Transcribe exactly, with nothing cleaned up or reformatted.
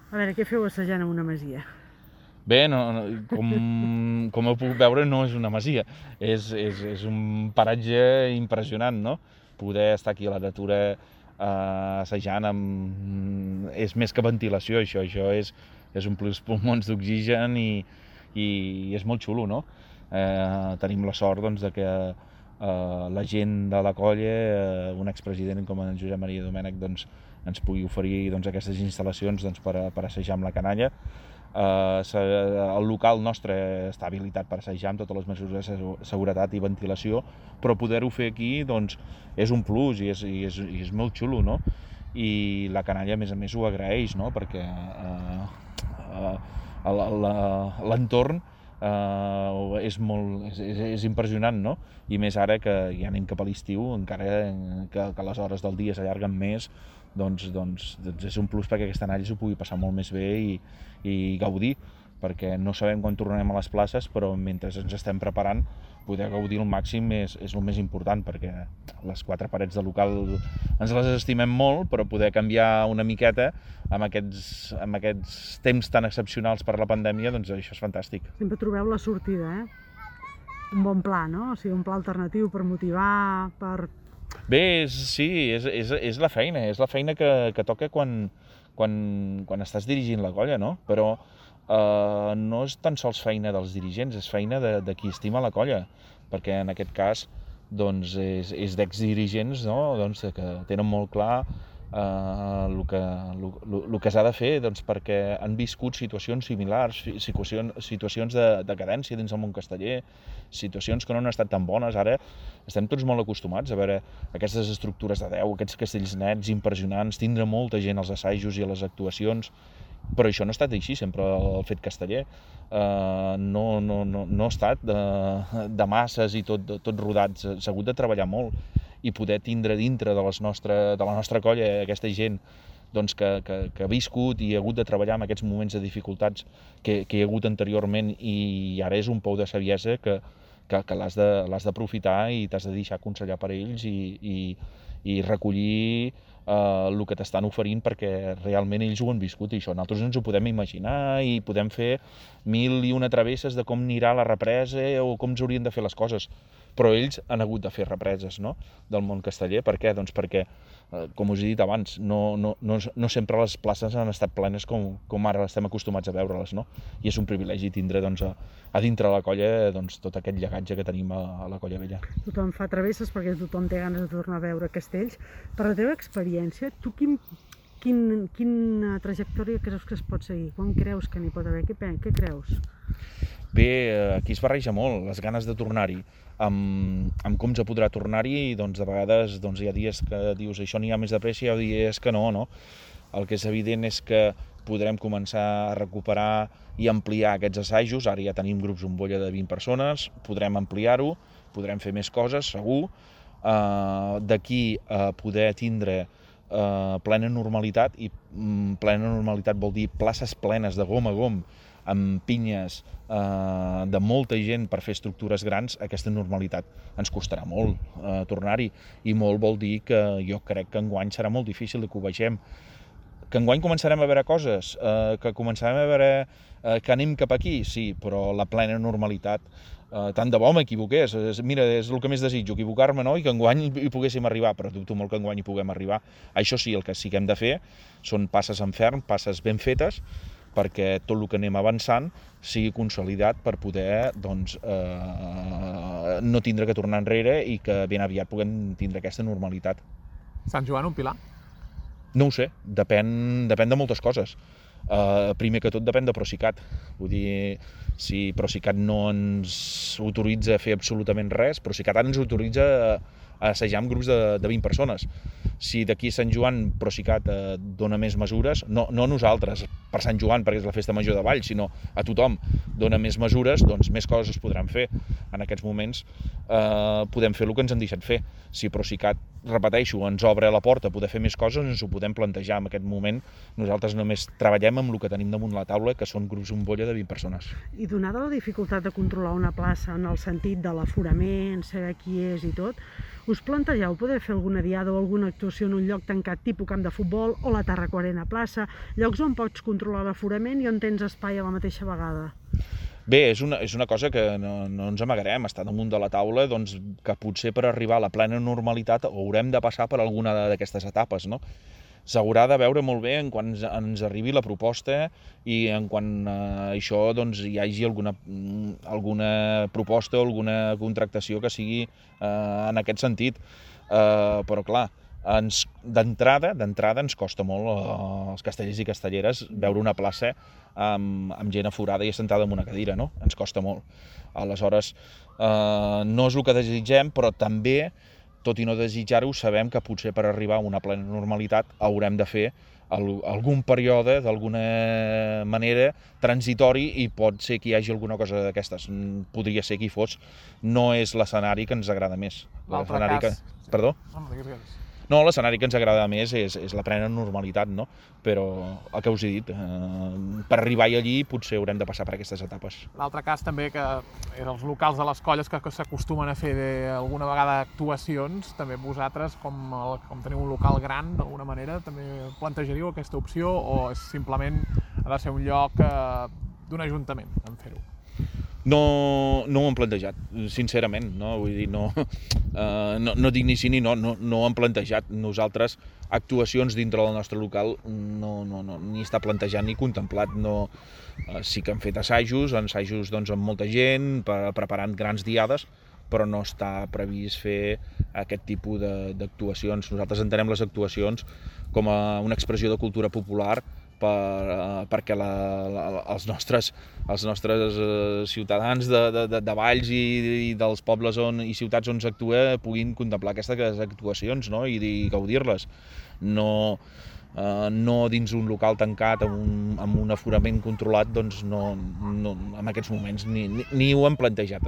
A veure, què feu assajant en una masia? Bé, no, no, com, com heu pogut veure, no és una masia, és, és, és un paratge impressionant, no? Poder estar aquí a la natura eh, assajant amb... és més que ventilació, això, això és, és omplir els pulmons d'oxigen i, i és molt xulo, no? Eh, tenim la sort doncs, de que eh, la gent de la colla, eh, un expresident com en Josep Maria Domènech, doncs, ens pugui oferir doncs, aquestes instal·lacions doncs, per, a, per assajar amb la canalla. Uh, el local nostre està habilitat per assajar amb totes les mesures de seguretat i ventilació, però poder-ho fer aquí doncs, és un plus i és, i, és, i és molt xulo, no? I la canalla a més a més ho agraeix, no? Perquè uh, uh, l'entorn uh, és, molt, és, és, és impressionant, no? I més ara que ja anem cap a l'estiu, encara que, que les hores del dia s'allarguen més, doncs, doncs, doncs és un plus perquè aquesta analla s'ho pugui passar molt més bé i, i gaudir, perquè no sabem quan tornarem a les places, però mentre ens estem preparant poder gaudir al màxim és, és el més important, perquè les quatre parets del local ens les estimem molt, però poder canviar una miqueta amb aquests, amb aquests temps tan excepcionals per la pandèmia, doncs això és fantàstic. Sempre trobeu la sortida, eh? Un bon pla, no? O sigui, un pla alternatiu per motivar, per... Bé, és, sí, és, és, és la feina, és la feina que, que toca quan, quan, quan estàs dirigint la colla, no? Però eh, no és tan sols feina dels dirigents, és feina de, de qui estima la colla, perquè en aquest cas doncs, és, és d'exdirigents, no? Doncs, que tenen molt clar eh, el que, el, el que s'ha de fer, doncs, perquè han viscut situacions similars, situacions, situacions de, de cadència dins del món casteller, situacions que no han estat tan bones. Ara estem tots molt acostumats a veure aquestes estructures de deu, aquests castells nets impressionants, tindre molta gent als assajos i a les actuacions, però això no ha estat així sempre el fet casteller. Uh, no, no, no, no ha estat de, de masses i tot, tot rodats, s'ha hagut de treballar molt i poder tindre dintre de, les nostre, de la nostra colla aquesta gent doncs, que, que, que ha viscut i ha hagut de treballar en aquests moments de dificultats que, que hi ha hagut anteriorment, i ara és un pou de saviesa que, que, que l'has d'aprofitar i t'has de deixar aconsellar per ells i, i, i recollir eh, el que t'estan oferint, perquè realment ells ho han viscut i això nosaltres ens ho podem imaginar i podem fer mil i una travesses de com anirà la represa o com s'haurien de fer les coses, però ells han hagut de fer represes, no? Del món casteller. Per què? Doncs perquè, eh, com us he dit abans, no, no, no, no sempre les places han estat plenes com, com ara estem acostumats a veure-les, no? I és un privilegi tindre doncs, a, a dintre la colla doncs, tot aquest llegatge que tenim a, a la colla vella. Tothom fa travesses perquè tothom té ganes de tornar a veure castells. Per la teva experiència, tu quin, quin, quina trajectòria creus que es pot seguir? Quan creus que n'hi pot haver? Què, què creus? Bé, aquí es barreja molt les ganes de tornar-hi, amb, amb com se podrà tornar-hi, i doncs de vegades doncs, hi ha dies que dius això n'hi ha més de pressa, i hi ha dies que no, no. El que és evident és que podrem començar a recuperar i ampliar aquests assajos. Ara ja tenim grups bombolla de vint persones, podrem ampliar-ho, podrem fer més coses, segur. Uh, D'aquí a poder tindre uh, plena normalitat, i um, plena normalitat vol dir places plenes de gom a gom, amb pinyes eh, de molta gent per fer estructures grans, aquesta normalitat ens costarà molt eh, tornar-hi, i molt vol dir que jo crec que enguany serà molt difícil que ho vegem. Que enguany començarem a veure coses, eh, que començarem a veure eh, que anem cap aquí, sí, però la plena normalitat, eh, tant de bo m'equivoqués, mira, és el que més desitjo, equivocar-me, no? I que enguany hi poguéssim arribar, però dubto molt que enguany hi puguem arribar. Això sí, el que sí que hem de fer són passes en ferm, passes ben fetes, perquè tot el que anem avançant sigui consolidat per poder doncs, eh, no tindre que tornar enrere i que ben aviat puguem tindre aquesta normalitat. Sant Joan, un pilar? No ho sé, depèn, depèn de moltes coses. Uh, primer que tot depèn de Procicat. Vull dir, si Procicat no ens autoritza a fer absolutament res, Procicat ara ens autoritza a, a assajar amb grups de, de vint persones. Si d'aquí a Sant Joan Procicat eh, dona més mesures, no, no a nosaltres, per Sant Joan, perquè és la festa major de Valls, sinó a tothom, dona més mesures, doncs més coses es podran fer. En aquests moments eh, podem fer el que ens han deixat fer. Si Procicat, repeteixo, ens obre la porta a poder fer més coses, ens ho podem plantejar. En aquest moment nosaltres només treballem amb el que tenim damunt la taula, que són grups bombolla de vint persones. I donada la dificultat de controlar una plaça en el sentit de l'aforament, saber qui és i tot, us plantegeu poder fer alguna diada o alguna actuació en un lloc tancat tipus camp de futbol o la Tarraco Arena plaça, llocs on pots controlar l'aforament i on tens espai a la mateixa vegada? Bé, és una, és una cosa que no, no ens amagarem, està damunt de la taula, doncs, que potser per arribar a la plena normalitat haurem de passar per alguna d'aquestes etapes, no? S'haurà de veure molt bé en quan ens, ens arribi la proposta i en quan eh, això doncs, hi hagi alguna, alguna proposta o alguna contractació que sigui eh, en aquest sentit. Eh, però clar, ens, d'entrada d'entrada ens costa molt eh, als castellers i castelleres veure una plaça amb, amb gent aforada i assentada en una cadira, no? Ens costa molt. Aleshores, eh, no és el que desitgem, però també, tot i no desitjar-ho, sabem que potser per arribar a una plena normalitat haurem de fer el, algun període, d'alguna manera, transitori, i pot ser que hi hagi alguna cosa d'aquestes. Podria ser que hi fos. No és l'escenari que ens agrada més. L'altre cas... Que... Perdó? No, digues, digues. No, l'escenari que ens agrada més és, és la plena normalitat, no? Però el que us he dit, eh, per arribar allí potser haurem de passar per aquestes etapes. L'altre cas també que és els locals de les colles que, que s'acostumen a fer de, alguna vegada actuacions, també vosaltres, com, el, com teniu un local gran, d'alguna manera, també plantejaríeu aquesta opció o és simplement ha de ser un lloc eh, d'un ajuntament en fer-ho? No, no ho hem plantejat, sincerament, no? Vull dir, no, eh, no, no dic ni sí ni no, no, no ho hem plantejat. Nosaltres, actuacions dintre del nostre local, no, no, no, ni està plantejat ni contemplat. No, eh, sí que hem fet assajos, assajos doncs, amb molta gent, per, preparant grans diades, però no està previst fer aquest tipus d'actuacions. Nosaltres entenem les actuacions com a una expressió de cultura popular per, uh, perquè la, la, els nostres, els nostres uh, ciutadans de, de, de valls i, i dels pobles on, i ciutats on s'actua puguin contemplar aquestes actuacions, no? I, i gaudir-les. No, uh, no dins un local tancat amb un, amb un aforament controlat, doncs no, no, en aquests moments ni, ni, ni ho hem plantejat.